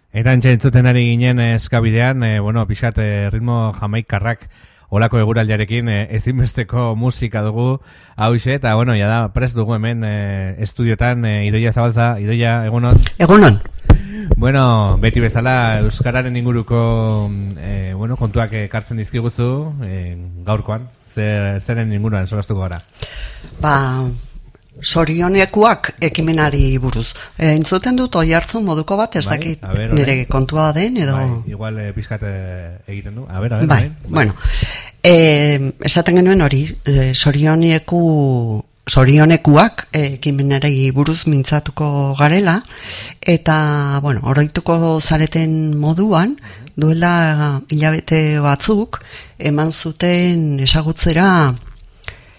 Erantxe entzuten ari ginen eskabidean, pixat ritmo jamaikarrak olako eguraldiarekin ezinbesteko musika dugu hauxe, eta da prest dugu hemen estudiotan Idoia Zabalza. Idoia, egunon? Egunon. Beti bezala Euskararen inguruko kontuak ekartzen dizkiguzu gaurkoan, zeren inguruan solastuko gara? Sorionekuak ekimenari buruz. Entzuten dut Oiartzun moduko bat, ez dakit nire kontua den, edo... Igual pixkat egiten du. Esaten genuen hori, sorionekuak ekimenari buruz mintzatuko garela, eta, oroituko zareten moduan, duela hilabete batzuk, eman zuten ezagutzera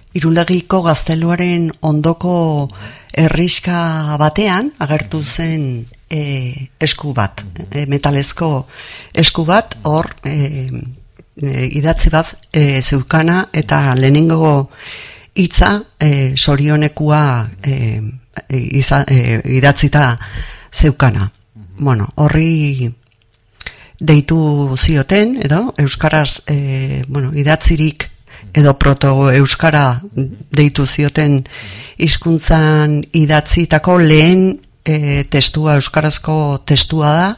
Irulegiko gazteluaren ondoko herriska batean agertu zen esku bat, metalezko esku bat, hor idatzi bat zeukana, eta lehenengo hitza sorionekua idatzita zeukana. Horri deitu zioten, edo euskaraz idatzirik edo proto-euskara deitu zioten hizkuntzan idatzitako lehen testua, euskarazko testua da.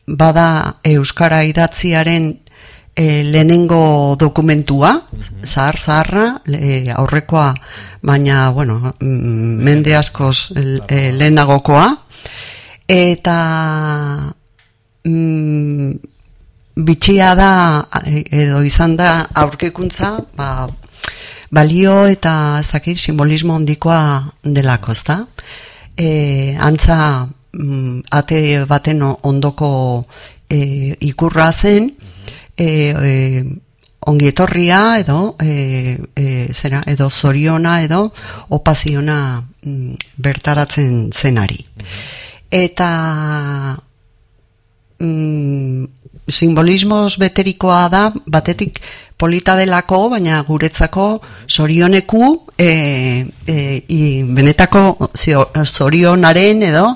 Bada euskara idatziaren lehenengo dokumentua, zaharra, aurrekoa, baina, mende askoz lehenagokoa, eta bitxia da, edo izan da aurkikuntza, balio eta simbolismo handikoa delako, ezta? Antza ate baten ondoko ikurra zen, ongietorria edo zoriona edo opaziona bertaratzen zenari. Eta simbolismoz beterikoa da, batetik polita delako, baina guretzako zorioneku benetako zorionaren edo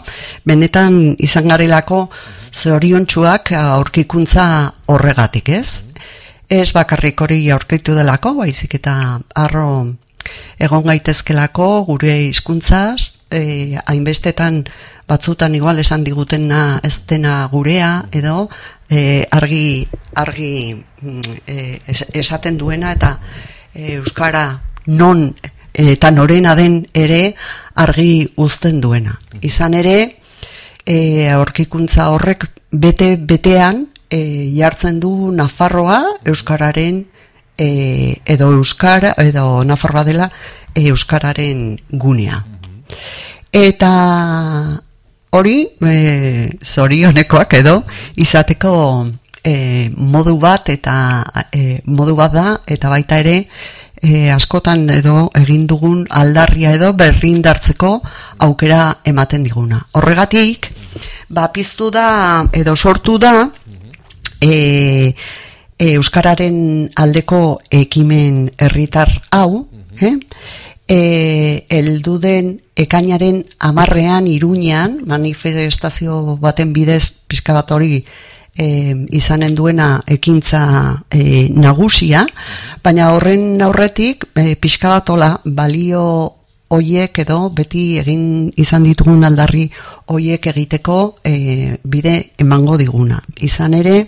benetan izan garelako zoriontsuak aurkikuntza horregatik, ez? Ez bakarrik hori aurkitu delako, baizik eta harro egon gaitezkelako gure hizkuntzaz, hainbestetan batzutan igual esan digutena ez dena gurea, edo argi esaten duena, eta euskara non eta norena den ere argi uzten duena. Izan ere, aurkikuntza horrek betean jartzen du Nafarroa euskararen edo Nafarroa dela euskararen gunea. Eta hori zorionekoak edo izateko modu bat da, eta baita ere askotan edo egin dugun aldarria edo berrindartzeko aukera ematen diguna. Horregatik, piztu da edo sortu da euskararen aldeko ekimen herritar hau, helduden ekainaren 10ean Iruñean, manifestazio baten bidez pixka bat hori izanen duena ekintza nagusia, baina horren aurretik pixka bat balio hoiek edo beti egin izan ditugun aldarri hoiek egiteko bide emango diguna. Izan ere,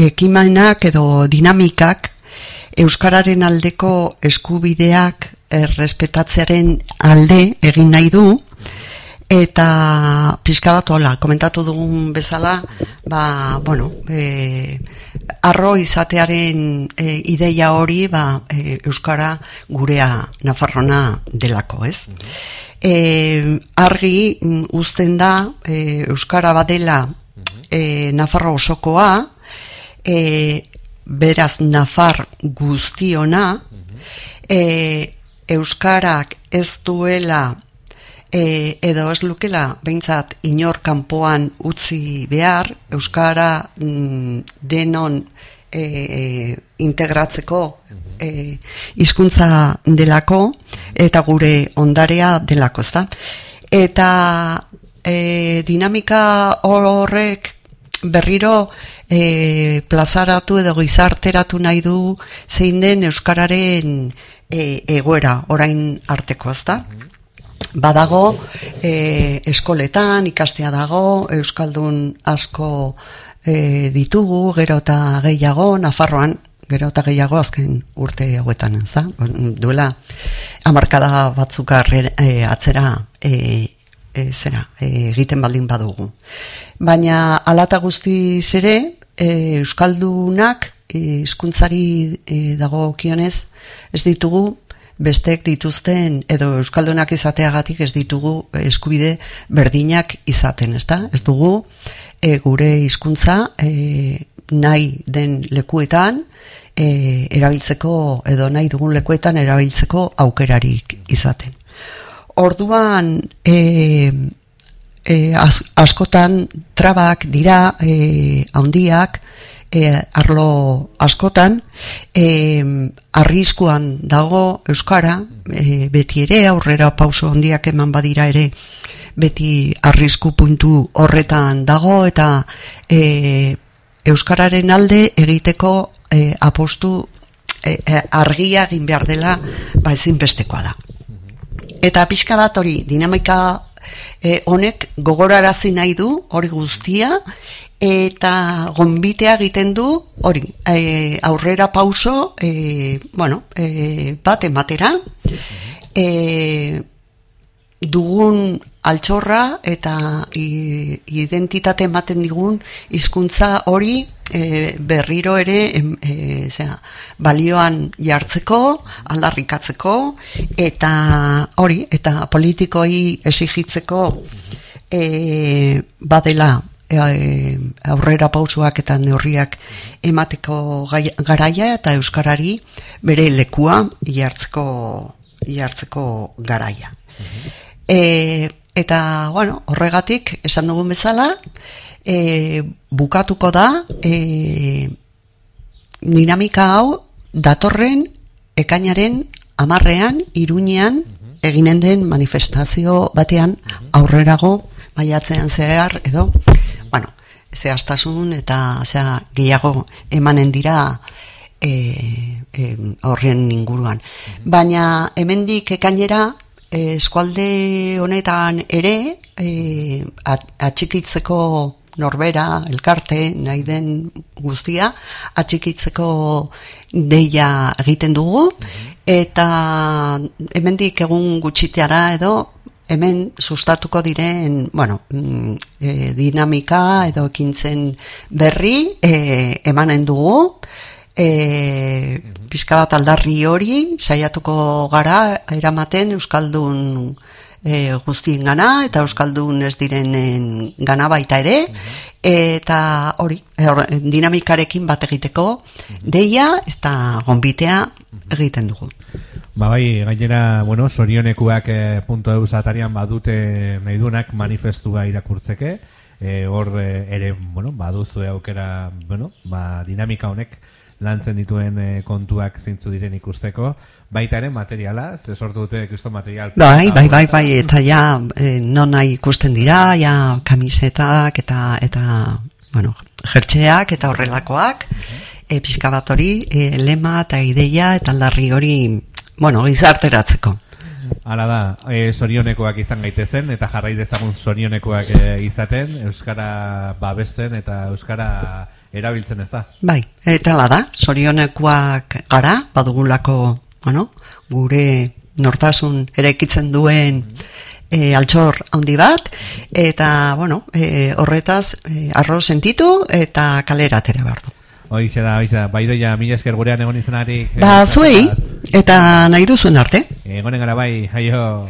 ekimenak edo dinamikak euskararen aldeko eskubideak errespetatzearen alde egin nahi du, eta pixka bat komentatu dugun bezala, arro izatearen ideia hori euskara gurea Nafarrona delako, ez? Argi uzten da euskara badela Nafarro osokoa, beraz Nafar guztiona, euskarak ez duela edo ez lukela behintzat inor kanpoan utzi behar, euskara denon integratzeko hizkuntza delako eta gure ondarea delako, ezta? Eta dinamika horrek berriro plazaratu edo gizarteratu nahi du zein den euskararen egoera orain arteko, ezta? Badago eskoletan ikastea dago, euskaldun asko ditugu, gero eta gehiago, Nafarroan gero eta gehiago azken urte hauetan, ezta? Duela hamarkada batzuk atzera egiten baldin badugu. Baina alata guztiz ere, euskaldunak hizkuntzari dagokionez ez ditugu bestek dituzten edo euskaldunak izateagatik ez ditugu eskubide berdinak izaten, ezta? Ez dugu gure hizkuntza nahi den lekuetan erabiltzeko edo nahi dugun lekuetan erabiltzeko aukerarik izaten. Orduan askotan trabak dira handiak arlo askotan arriskuan dago euskara beti ere aurrera pauso handiak eman badira ere beti arrisku puntu horretan dago eta euskararen alde egiteko apostu argia egin behar dela ezinbestekoa da. Eta pixka bat hori dinamika honek gogorarazi nahi du hori guztia eta gonbitea egiten du hori aurrera pauso bat ematera dugun altxorra eta identitate ematen digun hizkuntza hori berriro ere balioan jartzeko, aldarrikatzeko eta hori, eta politikoi exigitzeko badela aurrera pausoak eta neurriak emateko garaia eta euskarari bere lekua jartzeko garaia. Eta, horregatik, esan dugun bezala, bukatuko da dinamika hau datorren ekainaren 10ean, Iruñean eginen den manifestazio batean aurrerago maiatzean zehar edo, zehaztasun eta gehiago emanen dira horren inguruan. Baina hemendik ekainera eskualde honetan ere atxikitzeko norbera, elkarte, nahi den guztia, atxikitzeko deia egiten dugu, eta hemendik egun gutxiteara edo hemen sustatuko diren dinamika edo ekintzen berri emanen dugu, pixka bat aldarri hori saiatuko gara eramaten euskaldun guztien gana eta euskaldun ez direnen gana baita ere eta hori dinamikarekin bat egiteko deia eta gonbitea egiten dugu. Bai, gainera, sorionekuak .eus atarian badute nahi duenak manifestua irakurtzeke, hor ere, baduzu aukera, dinamika honek lantzen dituen kontuak zintzu diren ikusteko, baita ere materiala, ze sortu dute kriston material. Bai, eta ja nona ikusten dira, ja kamisetak eta jertxeak eta horrelakoak, pixka bat hori, lema eta ideia eta aldarri hori, gizarteratzeko. Hala da, sorionekoak izan gaitezen eta jarrai dezagun sorionekoak izaten, euskara babesten eta euskara erabiltzen ez da. Bai, eta hala da, sorionekoak gara, badugulako, gure nortasun eraikitzen duen altxor handi bat, eta, horretaz, arro sentitu eta kalera atera behar du. Hoize da, baidoia, mila esker gurean egon izenarik. Zuei, eta nahi duzuen arte. Egonen gara bai, aio.